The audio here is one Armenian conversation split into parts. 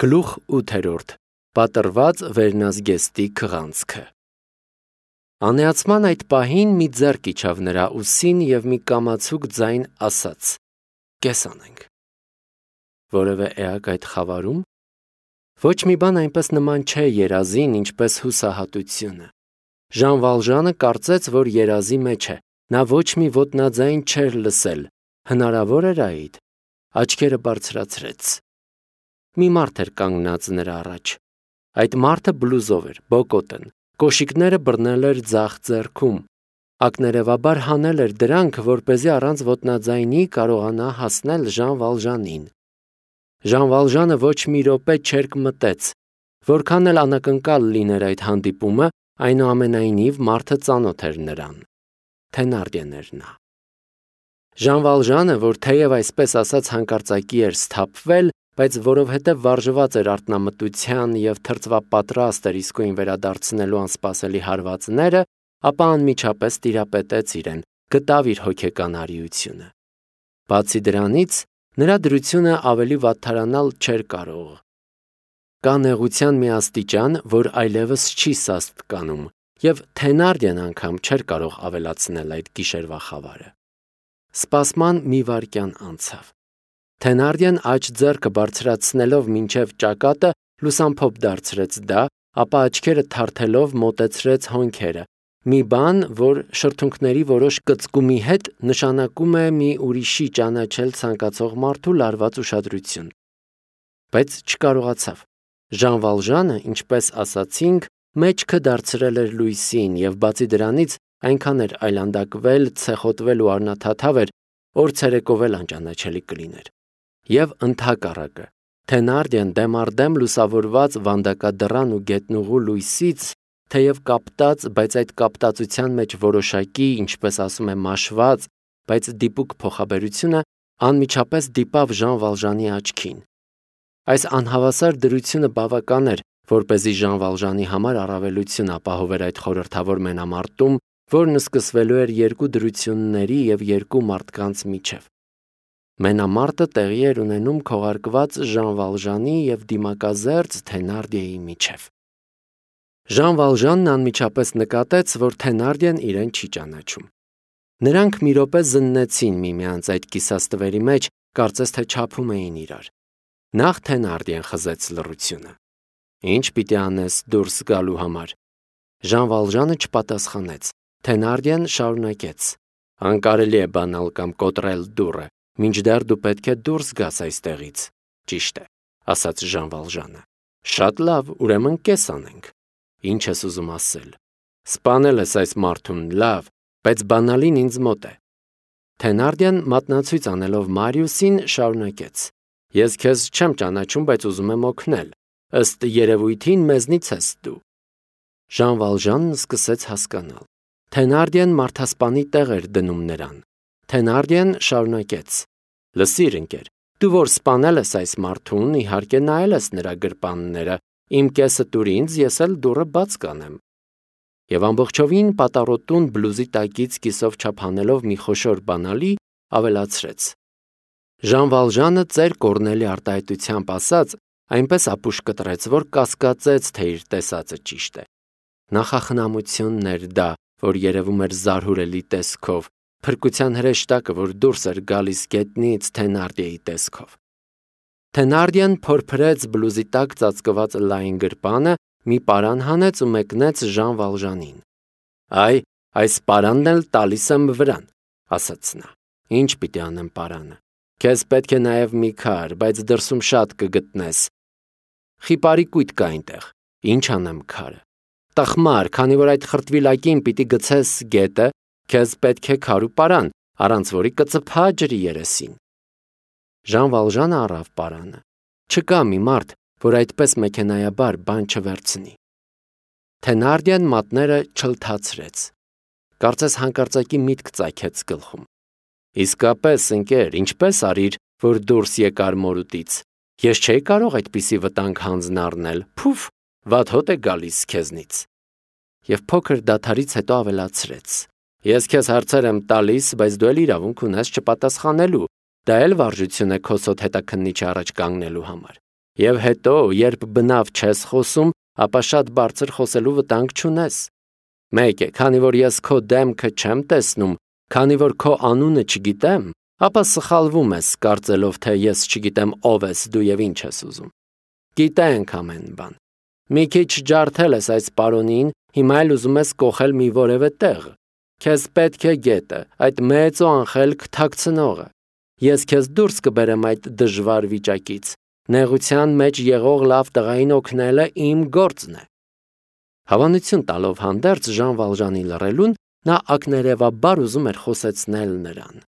Գլուխ 8. Պատռված վերնազգեստի քղանցքը։ Անեացման այդ պահին մի ձեռք իջավ նրա ուսին և մի կամացուկ ձայն ասաց. «Կես անենք»։ Որևէ էակ այդ խավարում։ Ոչ մի բան այնպես նման չէ երազին, ինչպես հուսահատությունը։ Ժան Վալժանը կարծեց, որ երազի մեջ է, նա ոչ մի ոտնաձայն չէր լսել, հնարավոր էր այդ։ Աչքերը բարձրացրեց։ Մի մարդ էր կանգնած նրա առաջ։ Այդ մարդը բլուզով էր, բոկոտն, կոշիկները բռնել էր ձախ ձեռքում, ակներևաբար հանել էր դրանք, որպեսզի առանց ոտնաձայնի կարողանա հասնել Ժան Վալժանին։ Ժան Վալժանը ոչ մի րոպե չերկմտեց, որքան էլ անակնկալ լիներ այդ հանդիպումը, այնուամենայնիվ մարդը ծանոթ էր նրան։ Թենարդիեն էր նա։ Ժան Վալժանը, որ թեև այսպես ասած հանկարծակի էր սթափվել, բայց որովհետև վարժված էր արթնամտության և թրծվապատրաստ էր իսկույն վերադարձնելու անսպասելի հարվածները, ապա անմիջապես տիրապետեց իրեն, գտավ իր հոգեկան արիությունը։ Բացի դրանից, նրա դրությունը ավելի վատթարանալ չէր կարող։ Կա նեղության մի աստիճան, որ այլևս չի սաստկանում, և Թենարդիեն անգամ չէր կարող ավելացնել այդ գիշերվա խավարը։ Սպասման մի վայրկյան անցավ։ Թենարդիեն աջ ձեռքը բարձրացնելով մինչև ճակատը լուսամփոփ դարձրեց դա, ապա աչքերը թարթելով մոտեցրեց հոնքերը, մի բան, որ շրթունքների որոշ կծկումի հետ նշանակում է մի ուրիշի ճանաչել ցանկացող մարդու լարված ուշադրություն։ Բայց չկարողացավ։ Ժան Վալժանը, ինչպես ասացինք, մեջքը դարձրել էր լույսին և բացի դրանից այնքան էր այլանդակվել, ցեխոտվել ու առնաթաթավ էր, որ ցերեկով էլ անճանաչելի կլիներ։ Եվ ընդհակառակը, Թենարդիեն դեմ առ դեմ լուսավորված վանդակադռան ու գետնուղու լույսից, թեև կապտած, բայց այդ կապտածության մեջ որոշակի, ինչպես ասում է, մաշված, բայց դիպուկ փոխաբերությունը անմիջապես դիպավ Ժան Վալժանի աչքին։ Այս անհավասար դրությունը բավական էր, որպեսզի Ժան Վալժանի համար առավելություն ապահովեր այդ խորհրդավոր մենամարտում, որն սկսվելու էր երկու դրությունների և երկու մարդկանց միջև։ Մենամարտը տեղի էր ունենում քողարկված Ժան Վալժանի և դիմակազերծ Թենարդիեի միջև։ Ժան Վալժանն անմիջապես նկատեց, որ Թենարդիեն իրեն չի ճանաչում։ Նրանք մի րոպե զննեցին միմյանց այդ կիսաստվերի մեջ, կարծես թե չափում էին իրար։ Նախ Թենարդիեն խզեց լռությունը։ Ինչ պիտի անես դուրս գալու համար։ Ժան Վալժանը չպատասխանեց։ Թենարդիեն շարունակեց. Անկարելի է բանալ կամ կոտրել դուռը, մինչդեռ դու պետք է դուրս գաս այստեղից։ Ճիշտ է, ասաց Ժան Վալժանը։ Շատ լավ, ուրեմն կես անենք։ Ինչ ես ուզում ասել։ Սպանել ես այս մարդուն, լավ, բայց բանալին ինձ մոտ է։ Թենարդիեն մատնացույց անելով Մարիուսին շարունակեց. Ես քեզ չեմ ճանաչում, բայց ուզում եմ օգնել։ Ըստ երևույթին մեզնից ես դու։ Ժան Վալժանն սկսեց հասկանալ։ Թենարդիեն մարդասպանի տեղ էր դնում նրան։ Թենարդիեն շարունակեց. Լսիր, ընկեր, դու որ սպանել ես այս մարդուն, իհարկե նայել ես նրա գրպանները, իմ կեսը տուր ինձ, ես էլ դուռը բաց կանեմ։ Եվ ամբողջովին պատառոտուն բլուզի տակից կիսով չափ հանելով մի խոշոր բանալի, ավելացրեց. Ժան Վալժանը ծեր կորնելի արտահայտությամբ ասած, այնպես ապուշ կտրեց, որ կասկածեց, թե իր տեսածը ճիշտ է։ Նախախնամությունն էր դա, որ երևում էր զարհուրելի տեսքով, փրկության հրեշտակը, որ դուրս էր գալիս գետնից Թենարդիեի տեսքով։ Թենարդիեն փորփրեց բլուզի տակ ծածկված լայն գրպանը, մի պարան հանեց ու մեկնեց Ժան Վալժանին։ Այս պարանն էլ տալիս եմ վրան, ասաց նա։ Ինչ պիտի անեմ պարանը։ Քեզ պետք է նաև մի քար, բայց դրսում շատ կգտնես։ Խիպարի կույտ կա այնտեղ։ Ինչ անեմ քարը։ Տխմար, քանի որ այդ խրտվիլակին պիտի գցես գետը, քեզ պետք է քար ու պարան, առանց որի կծփա ջրի երեսին։ Ժան Վալժանը առավ պարանը։ Չկա մի մարդ, որ այդպես մեքենայաբար բան չվերցնի։ Թենարդիեն մատները չլթացրեց։ Կարծես հանկարծակի միտք ծագեց գլխում։ Իսկապես, ընկեր, ինչպես արիր, որ դուրս եկար մորուտից։ Ես չէի կարող այդպիսի վտանգ հանձն առնել, փուֆ, վատ հոտ է գալիս քեզնից։ Եվ փոքր դադարից հետո ավելացրեց. Ես քեզ հարցեր եմ տալիս, բայց դու էլ իրավունք ունես չպատասխանելու, դա էլ վարժություն է քո սոտ հետաքննիչի առաջ կանգնելու համար։ Եվ հետո, երբ բնավ չես խոսում, ապա շատ բարձր խոսելու վտանգ չունես։ Մեկ է, քանի որ ես քո դեմքը չեմ տեսնում, քանի որ քո անունը չգիտեմ, ապա սխալվում ես, կարծելով, թե ես չգիտեմ ով ես դու եւ ինչ ես ուզում։ Գիտենք ամեն բան։ Մի քիչ ջարդել ես այս պարոնին, հիմա էլ ուզում ես կոխել մի որևէ տեղ։ Քեզ պետք է գետը, այդ մեծ ու անխելք թաքցնողը։ Ես քեզ դուրս կբերեմ այդ դժվար վիճակից։ Նեղության մեջ եղող լավ տղային օգնելը իմ գործն է։ Հավանություն տալով հանդերձ Ժան Վալժանի լռելուն, նա ակներևաբար ուզում էր խոսեցնել նրան։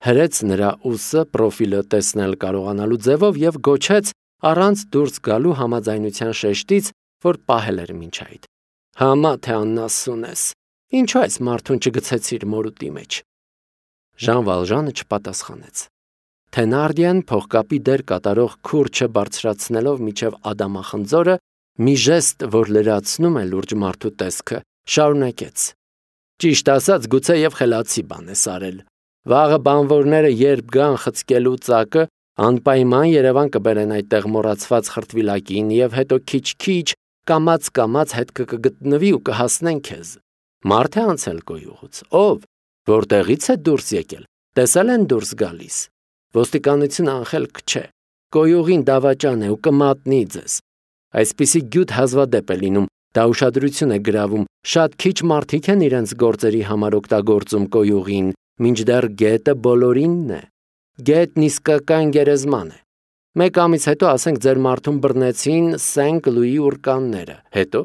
Հրեց նրա ուսը պրոֆիլը տեսնել կարողանալու ձևով եւ գոչեց առանց դուրս գալու համաձայնության շեշտից, որ պահել էր մինչ այդ։ Համա թե աննասուն ես։ Ինչու այս մարդուն չգցեցիր մորուտի մեջ։ Ժան Վալժանը չպատասխանեց։ Թենարդիան փողկապի դեր կատարող քուրչը բարձրացնելով միջև ադամախնձորը, մի ժեստ, որ լրացնում է լուրջ մարդու տեսքը, շարունակեց. Ճիշտ ասած, գուցե եւ խելացի բան ես արել։ Վաղը բանվորները երբ գան խցկելու ծակը, անպայման Երևան կբերեն այդտեղ մոռացված խրտվիլակին եւ հետո քիչ-քիչ կամած հետ կգտնվի ու կհասնեն քեզ։ Մարդ է անցել գոյուղուց։ Ով, որտեղից է դուրս եկել։ Տեսել են դուրս գալիս։ Ոստիկանությունը անխելք չէ, գոյուղին դավաճան է ու կմատնի ձեզ։ Այսպիսի գյուտ հազվադեպ է լինում, դա ուշադրություն է գրավում, շատ քիչ մարդիկ են իրենց գործերի համար օգտագործում գոյուղին, մինչդեռ գետը բոլորինն է։ Գետն իսկական գերեզման է։ Մեկ ամիս հետո ասենք ձեր մարդուն բռնեցին Սենք Լուի ուրկանները, հետո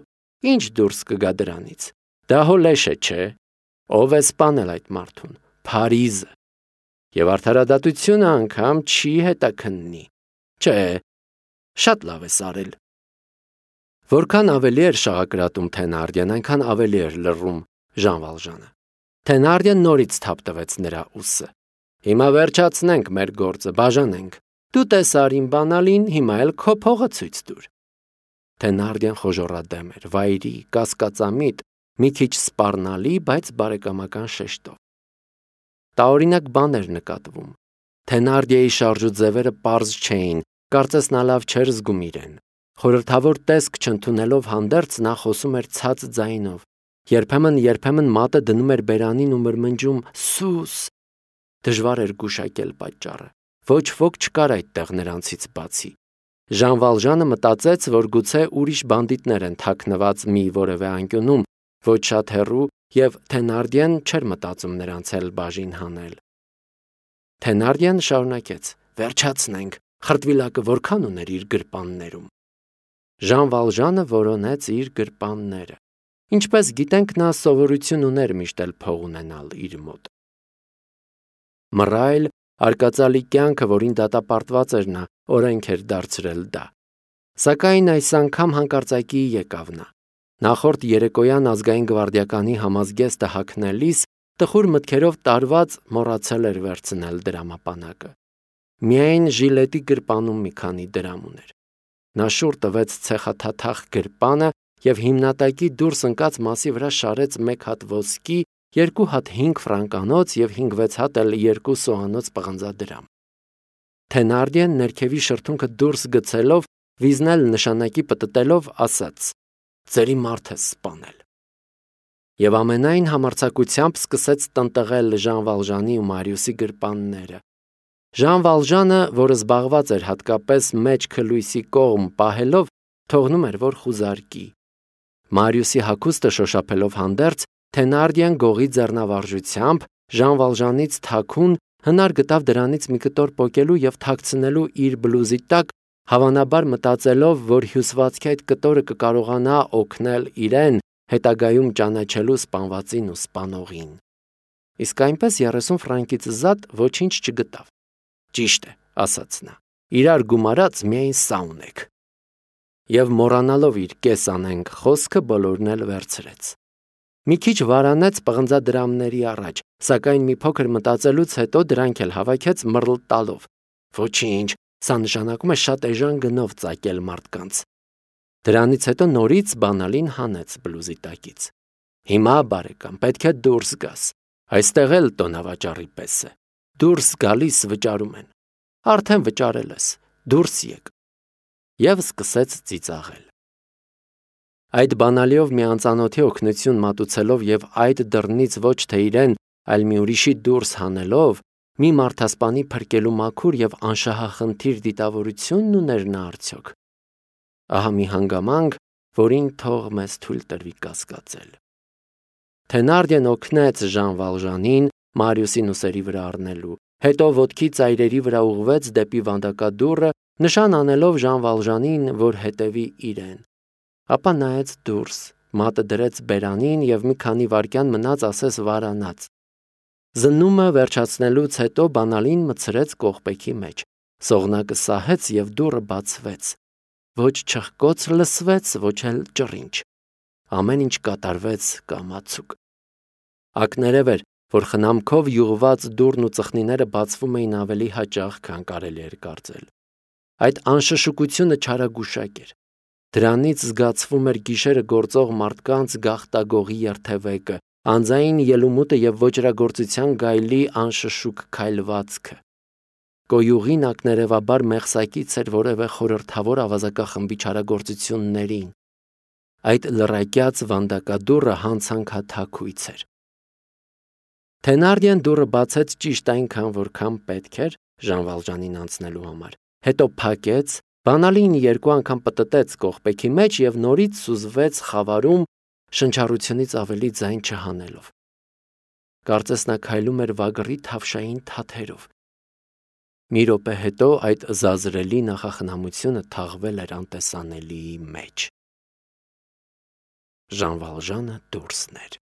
ինչ դուրս կգա դրանից։ Դա հո լեշ է, չէ։ Ով է սպանել այդ մարդուն։ Փարիզը։ Եվ արդարադատությունը անգամ չի հետաքննի։ Չէ, շատ լավ ես արել։ Որքան ավելի էր շաղակրատում Թենարդիան, այնքան ավելի էր լռում Ժան Վալժանը։ Թենարդիան նորից թափտվեց նրա ուսը։ Հիմա վերջացնենք մեր գործը, բաժանենք։ Դու տեսար իմ բանալին, հիմա էլ քո փողը ցույց տուր։ Թենարդիան խոժոռադեմ էր, վայրի, կասկածամիտ, մի քիչ սպառնալի, բայց բարեկամական շեշտով։ Տարօրինակ բան էր նկատվում։ Թենարդիայի շարժուձևերը պարզ չէին, կարծես նա լավ չէր զգում իրեն։ Խորհրդավոր տեսք չընդունելով հանդերձ նա խոսում էր ցած ձայնով։ Երբեմն մատը դնում էր բերանին ու մրմնջում «Սուս»։ Դժվար էր գուշակել պատճառը։ Ոչ ոք չկար այդտեղ նրանցից բացի։ Ժան Վալժանը մտածեց, որ գուցե ուրիշ բանդիտներ են թաքնված մի որևէ անկյունում, ոչ շատ հեռու, եւ Թենարդիան չէր մտածում նրանց էլ բաժին հանել։ Թենարդիան շարունակեց. Վերջացնենք, խրտվիլակը որքան ուներ իր գրպաններում։ Ժան Վալժանը որոնեց իր գրպանները։ Ինչպես գիտենք, նա սովորություն ուներ միշտ էլ փող ունենալ իր մոտ։ Մռայլ, արկածալի կյանքը, որին դատապարտված էր նա, օրենք էր դարձրել դա։ Սակայն այս անգամ հանկարծակի եկավ նա։ Նախորդ երեկոյան ազգային գվարդիականի համազգեստը հագնելիս տխուր մտքերով տարված մոռացել էր վերցնել դրամապանակը։ Միայն ժիլետի գրպանում մի քանի դրամ ուներ։ Նա շուռ տվեց ցեխաթաթախ գրպանը եւ հիմնատակի դուրս ընկած մասի վրա շարեց 1 հատ ոսկի, 2 հատ 5 ֆրանկանոց եւ 5-6 հատ էլ 2 սոհանոց պղնձադրամ։ Թենարդիան ներքևի շրթունքը դուրս գցելով, վիզնել նշանակի պտտելով ասաց. Ձերի մարդ է սպանել։ Եվ ամենայն համարձակությամբ սկսեց տնտղել Ժան Վալժանի ու Մարիուսի գրպանները։ Ժան Վալժանը, որը զբաղված էր հատկապես մեջքը լույսի կողմ պահելով, թողնում էր, որ խուզարկի։ Մարիուսի հագուստը շոշափելով հանդերձ, Թենարդիան գողի ձեռնավարժությամբ Ժան Վալժանից թաքուն հնար գտավ դրանից մի կտոր պոկելու եւ թաքցնելու իր բլուզի տակ, հավանաբար մտածելով, որ հյուսվածքի այդ կտորը կկարողանա օգնել իրեն հետագայում ճանաչելու սպանվածին ու սպանողին։ Իսկ այնպես 30 ֆրանկից զատ ոչինչ չգտավ։ Ճիշտ է, ասաց նա։ Իրար գումարած միայն սա ունեք։ Եվ մոռանալով իր կես անենք խոսքը բոլորն էլ վերցրեց։ Մի քիչ վարանեց պղնձադրամների առաջ, սակայն մի փոքր մտածելուց հետո դրանք էլ հավաքեց մռլ տալով։ Ոչինչ, սա նշանակում է շատ էժան գնով ծակել մարդկանց։ Դրանից հետո նորից բանալին հանեց բլուզի տակից։ Հիմա, բարեկամ, պետք է դուրս գաս։ Այստեղ էլ տոնավաճառի պես է։ Դուրս գալիս վճարում են։ Արդեն վճարել ես, դուրս եկ։ և սկսեց ծիծաղել։ Այդ բանալիով մի անծանոթի օգնություն մատուցելով և այդ դռնից ոչ թե իրեն, այլ մի ուրիշի դուրս հանելով, մի մարդասպանի փրկելու մաքուր և անշահախնդիր դիտավորությունն ուներ նա արդյոք։ Ահա մի հանգամանք, որին թող մեզ թույլ տրվի կասկածել։ Թենարդիեն օգնեց Ժան Վալժանին Մարիուսին ուսերի վրա առնելու, հետո ոտքի ծայրերի վրա ուղղվեց դեպի վանդակադուռը, նշան անելով Ժան Վալժանին, որ հետևի իրեն։ Ապա նայեց դուրս, մատը դրեց բերանին և մի քանի վայրկյան մնաց ասես վարանած։ Զննումը վերջացնելուց հետո բանալին մտցրեց կողպեքի մեջ, սողնակը սահեց և դուռը բացվեց։ Ոչ չխկոց լսվեց, ոչ էլ ճռինչ։ Ամեն ինչ կատարվեց կամացուկ։ Ակներև էր, որ խնամքով յուղված դուռն ու ծխնիները բացվում էին ավելի հաճախ, քան կարելի էր կարծել։ Այդ անշշուկությունը չարագուշակ էր։ Դրանից զգացվում էր գիշերը գործող մարդկանց գաղտագողի երթևեկը, անձային ելումուտը և ոճրագործության գայլի անշշուկ քայլվածքը։ Կոյուղին ակներևաբար մեղսակից էր որևէ խորհրդավոր ավազակախմբի չարագործություններին։ Այդ լռակյաց վանդակադուռը հանցանքաթաքույց էր։ Թենարդիեն դուռը բացեց ճիշտ այնքան, որքան պետք էր Ժան Վալժանին անցնելու համար, հետո փակեց, բանալին երկու անգամ պտտեց կողպեքի մեջ և նորից սուզվեց խավարում, շնչառությունից ավելի ձայն չհանելով։ Կարծես նա քայլում էր վագրի թավշային թաթերով։ Մի րոպե հետո այդ զազրելի նախախնամությունը թաղվել էր անտեսանելիի մեջ։ Ժան Վալժանը դուրսն էր։